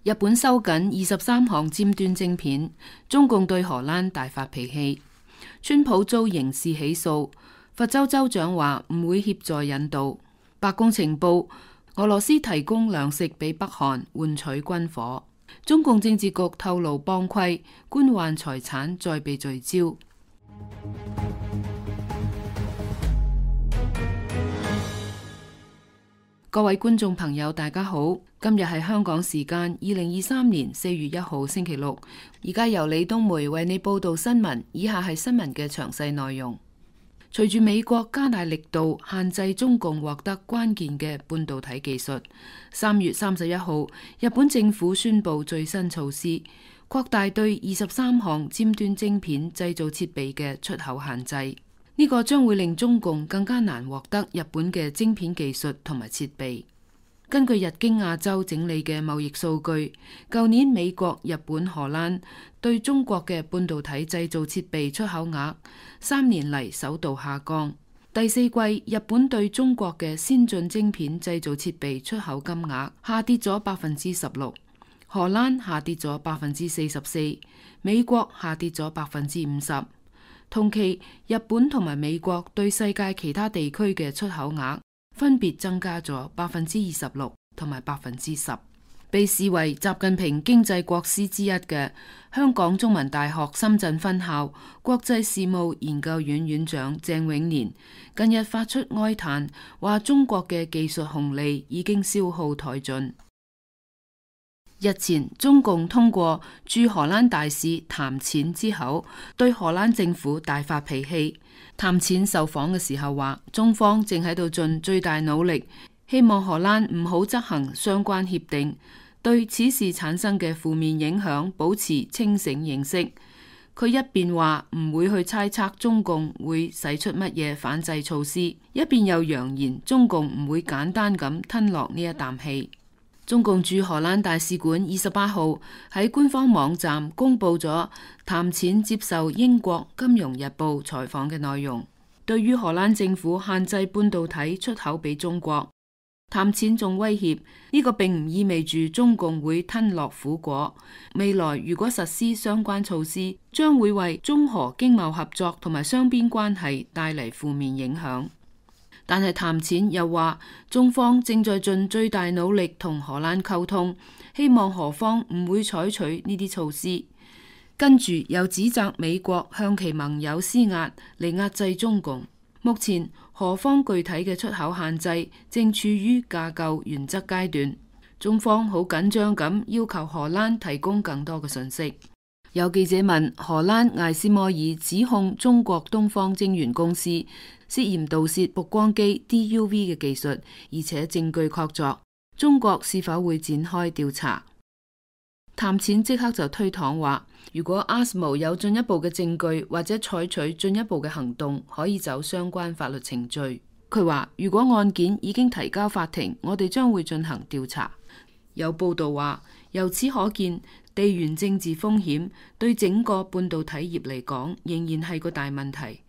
日本收緊23項尖端晶片，中共對荷蘭大發脾氣。川普遭刑事起訴，佛州州長話唔會協助引渡。白宮情報，俄羅斯提供糧食俾北韓換取軍火。中共政治局透露幫規，官宦財產再被聚焦。各位觀眾朋友，大家好，今日係香港時間2023年4月1號星期六，而家由李東梅為你報道新聞。以下係新聞嘅詳細內容。隨住美國加大力度限制中共獲得關鍵嘅半導體技術，3月31號，日本政府宣布最新措施，擴大對23項尖端晶片製造設備嘅出口限制。呢個將會令中共更加難獲得日本嘅晶片技術同埋設備。根據日經亞洲整理嘅貿易數據，舊年美國、日本、荷蘭對中國嘅半導體製造設備出口額3年嚟首度下降。第四季，日本對中國嘅先進晶片製造設備出口金額下跌咗16%，荷蘭下跌咗44%，美國下跌咗50%。同期，日本同埋美國對世界其他地區嘅出口額分別增加咗26%同埋10%。被視為習近平經濟國師之一嘅香港中文大學深圳分校國際事務研究院院長鄭永年近日發出哀嘆，話中國嘅技術紅利已經消耗殆盡。日前，中共通過駐荷蘭大使譚踐之口，對荷蘭政府大發脾氣。譚踐受訪嘅時候話，中方正喺度盡最大努力，希望荷蘭唔好執行相關協定，對此事產生嘅負面影響保持清醒認識。佢一邊話唔會去猜測中共會使出乜嘢反制措施，一邊又揚言中共唔會簡單咁吞落呢一啖氣。中共駐荷蘭大使館28號喺官方網站公布咗譚踐接受英國金融日報採訪嘅內容。對於荷蘭政府限制半導體出口俾中國，譚踐仲威脅呢個並唔意味住中共會吞落苦果。未來如果實施相關措施，將會為中荷經貿合作同埋雙邊關係帶嚟負面影響。但係譚踐又話，中方正在盡最大努力同荷蘭溝通，希望荷方唔會採取呢啲措施。跟住又指責美國向其盟友施壓嚟壓制中共。目前荷方具體嘅出口限制正處於架構原則階段，中方好緊張咁要求荷蘭提供更多嘅信息。有記者問荷蘭艾斯摩爾指控中國東方晶圓公司涉嫌盜竊曝光機 DUV 嘅技術，而且證據確鑿，中國是否會展開調查？譚踐即刻就推搪話，如果 ASML 有進一步嘅證據或者採取進一步嘅行動，可以走相關法律程序。佢話，如果案件已經提交法庭，我哋將會進行調查。有報道話，由此可見，地緣政治風險對整個半導體業嚟講仍然係個大問題。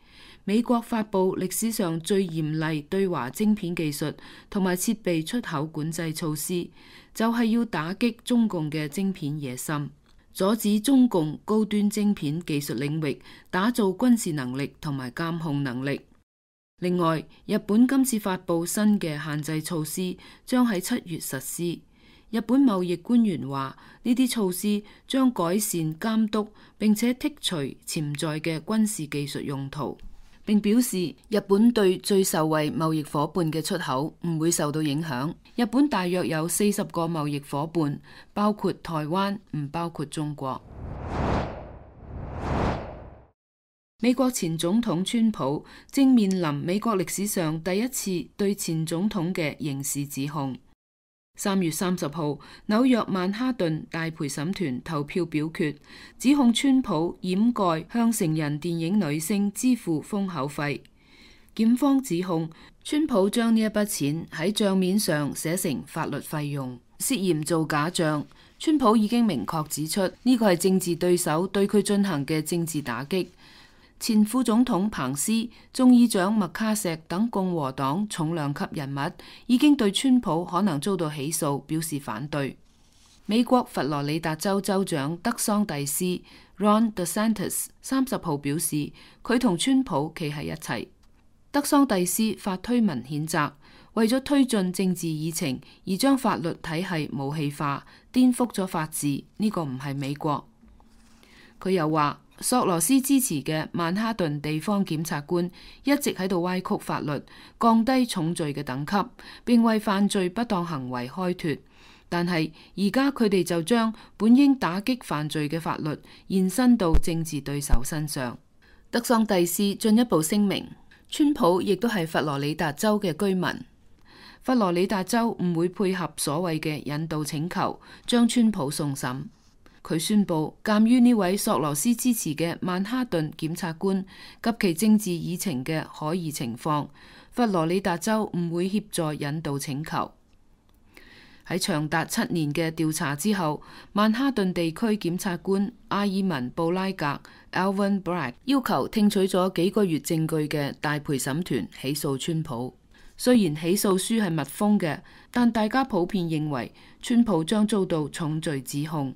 美國發佈歷史上最嚴厲對華晶片技術同埋設備出口管制措施，就係要打擊中共嘅晶片野心，阻止中共高端晶片技術領域打造軍事能力同埋監控能力。另外，日本今次發佈新嘅限制措施，將喺7月實施。日本貿易官員話，呢啲措施將改善監督，並且剔除潛在嘅軍事技術用途。並表示，日本對最受惠貿易夥伴嘅出口唔會受到影響。日本大約有40個貿易夥伴，包括台灣，唔包括中國。美國前總統川普正面臨美國歷史上第一次對前總統嘅刑事指控。3月30號，紐約曼哈頓大陪審團投票表決，指控川普掩蓋向成人電影女星支付封口費。檢方指控川普將呢一筆錢喺賬面上寫成法律費用，涉嫌做假賬。川普已經明確指出，呢個係政治對手對佢進行嘅政治打擊。前副總統彭斯、眾議長麥卡錫等共和黨重量級人物已經對川普可能遭到起訴表示反對。美國佛羅里達州州長德桑蒂斯 Ron DeSantis 30號表示，佢同川普企喺一齊。德桑蒂斯發推文譴責，為咗推進政治議程而將法律體系武器化，顛覆咗法治，呢個唔係美國。佢又話，索羅斯支持嘅曼哈頓地方檢察官一直喺度歪曲法律，降低重罪嘅等級，並為犯罪不當行為開脫。但係而家佢哋就將本應打擊犯罪嘅法律延伸到政治對手身上。德桑蒂斯進一步聲明，川普亦都係佛羅里達州嘅居民，佛羅里達州唔會配合所謂嘅引渡請求，將川普送審。佢宣布，鑑於呢位索羅斯支持嘅曼哈頓檢察官及其政治議程嘅可疑情況，佛羅里達州唔會協助引渡請求。喺長達7年嘅調查之後，曼哈頓地區檢察官阿爾文布拉格 Alvin Bragg 要求聽取咗幾個月證據嘅大陪審團起訴川普。雖然起訴書係密封嘅，但大家普遍認為川普將遭到重罪指控。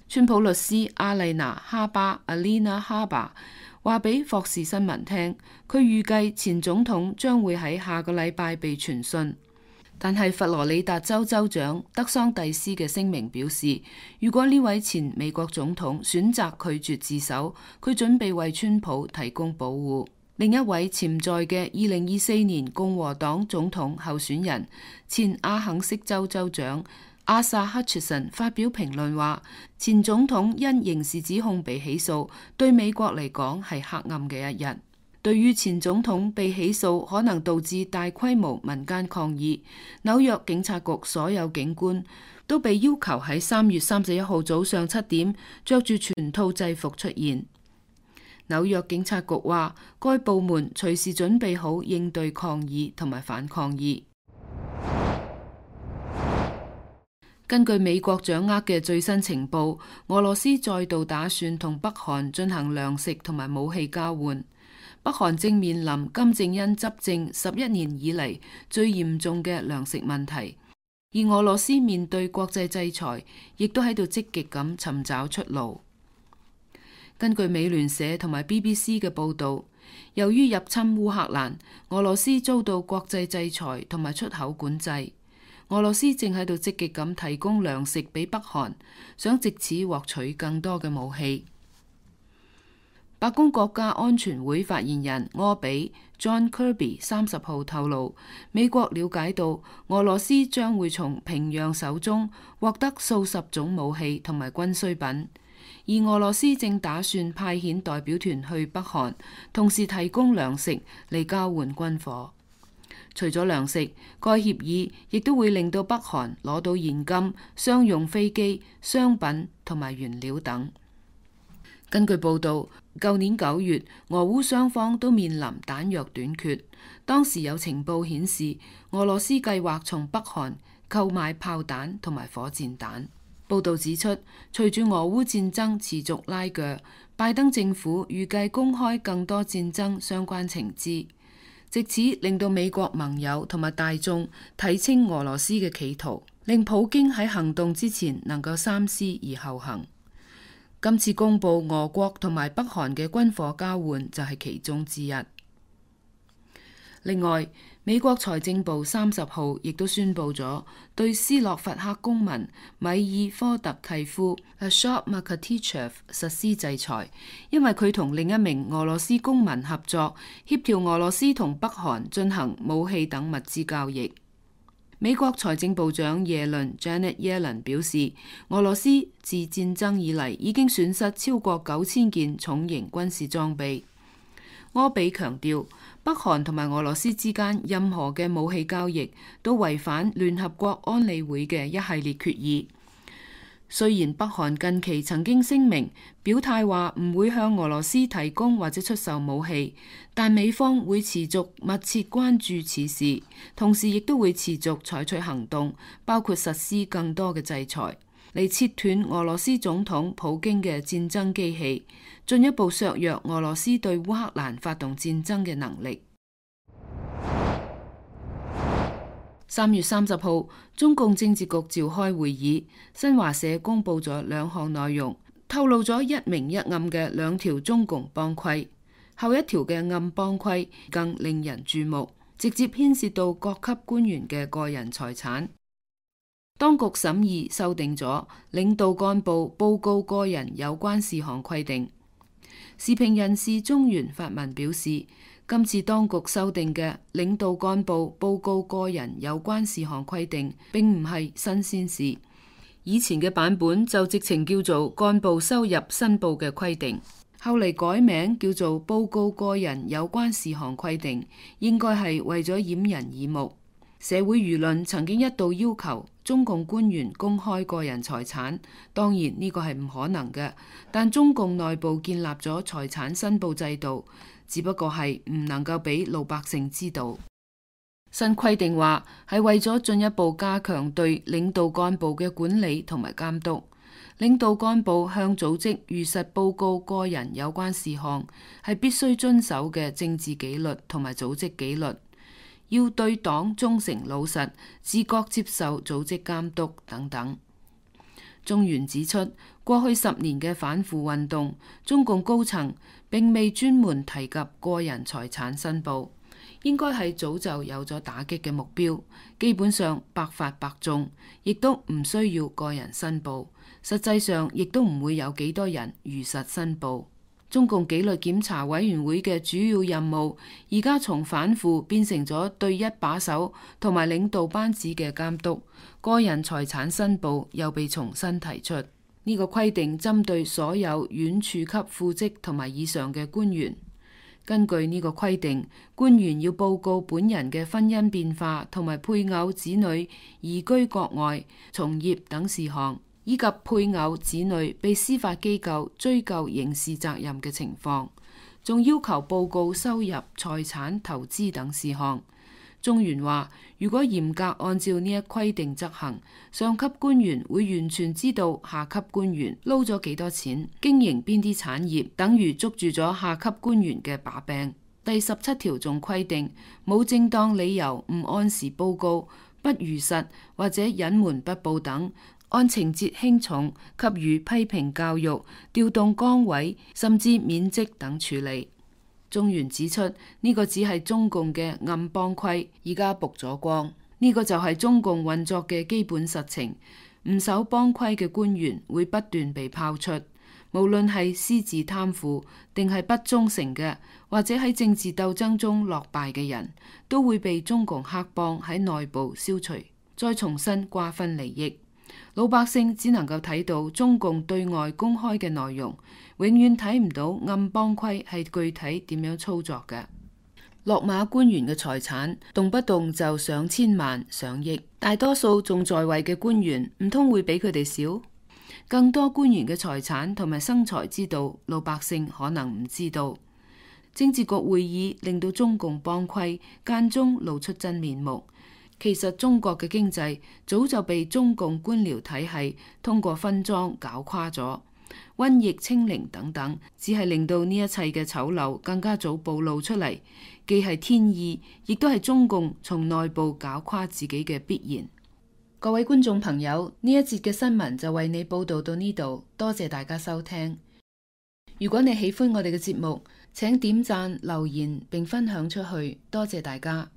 川普律師阿麗娜哈巴 Alina Habba 話俾霍士新聞聽，佢預計前總統將會喺下個禮拜被傳訊。但係佛羅里達州州長德桑蒂斯嘅聲明表示，如果呢位前美國總統選擇拒絕自首，佢準備為川普提供保護。另一位潛在嘅2024年共和黨總統候選人前阿肯色州州長阿薩克切森發表評論話，前總統因刑事指控被起訴，對美國嚟講係黑暗嘅一日。對於前總統被起訴可能導致大規模民間抗議，紐約警察局所有警官都被要求喺3月31號早上7點着住全套制服出現。紐約警察局話，該部門隨時準備好應對抗議同埋反抗議。根據美國掌握嘅最新情報，俄羅斯再度打算同北韓進行糧食同埋武器交換。北韓正面臨金正恩執政11年以嚟最嚴重嘅糧食問題，而俄羅斯面對國際制裁，亦都喺度積極咁尋找出路。根據美聯社同埋 BBC 嘅報導，由於入侵烏克蘭，俄羅斯遭到國際制裁同埋出口管制。俄羅斯正喺度積極咁提供糧食俾北韓，想藉此獲取更多嘅武器。白宮國家安全會發言人柯比 John Kirby 30號透露，美國了解到俄羅斯將會從平壤手中獲得數十種武器同埋軍需品，而俄羅斯正打算派遣代表團去北韓，同時提供糧食嚟交換軍火。除咗糧食，該協議亦都會令到北韓攞到現金、商用飛機、商品同埋原料等。根據報道，舊年9月，俄烏雙方都面臨彈藥短缺。當時有情報顯示，俄羅斯計劃從北韓購買炮彈同埋火箭彈。報道指出，隨住俄烏戰爭持續拉鋸，拜登政府預計公開更多戰爭相關情資，藉此令到美國盟友同埋大眾睇清俄羅斯嘅企圖，令普京喺行動之前能夠三思而後行。今次公布俄國同埋北韓嘅軍火交換就係其中之一。另外，美國財政部30號亦都宣布咗對斯洛伐克公民米爾科特契夫 Ashot Makatychev 實施制裁，因為佢同另一名俄羅斯公民合作，協調俄羅斯同北韓進行武器等物資交易。美國財政部長耶倫 Janet Yellen 表示，俄羅斯自戰爭以嚟已經損失超過9000件重型軍事裝備。柯比強調，北韓同埋俄羅斯之間任何嘅武器交易都違反聯合國安理會嘅一系列決議。雖然北韓近期曾經聲明表態話唔會向俄羅斯提供或者出售武器，但美方會持續密切關注此事，同時亦都會持續採取行動，包括實施更多嘅制裁，嚟切斷俄羅斯總統普京嘅戰爭機器，進一步削弱俄羅斯對烏克蘭發動戰爭嘅能力。3月30號，中共政治局召開會議，新華社公布咗2項內容，透露咗一明一暗嘅2條中共幫規。後一條嘅暗幫規更令人注目，直接牽涉到各級官員嘅個人財產。當局審議修訂咗領導幹部報告個人有關事項規定。時評人士中原發文表示，今次當局修訂嘅領導幹部報告個人有關事項規定並唔係新鮮事，以前嘅版本就直情叫做幹部收入申報嘅規定，後嚟改名叫做報告個人有關事項規定，應該係為咗掩人耳目。社會輿論曾經一度要求中共官員公開個人財產，當然呢個係唔可能嘅，但中共內部建立咗財產申報制度，只不過係唔能夠俾老百姓知道。新規定話係為咗進一步加強對領導幹部嘅管理同埋監督，領導幹部向組織如實報告個人有關事項，係必須遵守嘅政治紀律同埋組織紀律。要對黨忠誠老實，自覺接受組織監督等等。中原指出，過去10年嘅反腐運動，中共高層並未專門提及個人財產申報，應該係早就有咗打擊嘅目標，基本上百發百中，亦都唔需要個人申報，實際上亦都唔會有幾多人如實申報。中共紀律檢查委員會嘅主要任務，而家從反腐變成咗對一把手同埋領導班子嘅監督，個人財產申報又被重新提出。呢個規定針對所有縣處級副職同埋以上嘅官員。根據呢個規定，官員要報告本人嘅婚姻變化同埋配偶子女移居國外、從業等事項，以及配偶子女被司法機構追究刑事責任嘅情況，仲要求報告收入、財產、投資等事項。中原話，如果嚴格按照呢一規定執行，上級官員會完全知道下級官員撈咗幾多錢，經營邊啲產業，等於捉住咗下級官員嘅把柄。第17條仲規定，冇正當理由唔按時報告、不如實或者隱瞞不報等，按情節輕重給予批評教育、調動崗位甚至免職等處理。中原指出，呢個只係中共嘅暗幫規，而家曝咗光。呢個就係中共運作嘅基本實情。唔守幫規嘅官員會不斷被拋出，無論係私自貪腐定係不忠誠嘅，或者喺政治鬥爭中落敗嘅人，都會被中共黑幫喺內部消除，再重新瓜分利益。老百姓只能夠睇到中共對外公開嘅內容，永遠睇唔到暗幫規係具體點樣操作嘅。落馬官員嘅財產動不動就上千萬、上億，大多數仲在位嘅官員唔通會比佢哋少？更多官員嘅財產同埋生財之道，老百姓可能唔知道。政治局會議令到中共幫規間中露出真面目。其實中國嘅經濟早就被中共官僚體系通過分贓搞垮咗，瘟疫、清零等等，只係令到呢一切嘅醜陋更加早暴露出嚟，既係天意，亦都係中共從內部搞垮自己嘅必然。各位觀眾朋友，呢一節嘅新聞就為你報道到呢度，多謝大家收聽。如果你喜歡我哋嘅節目，請點讚、留言並分享出去，多謝大家。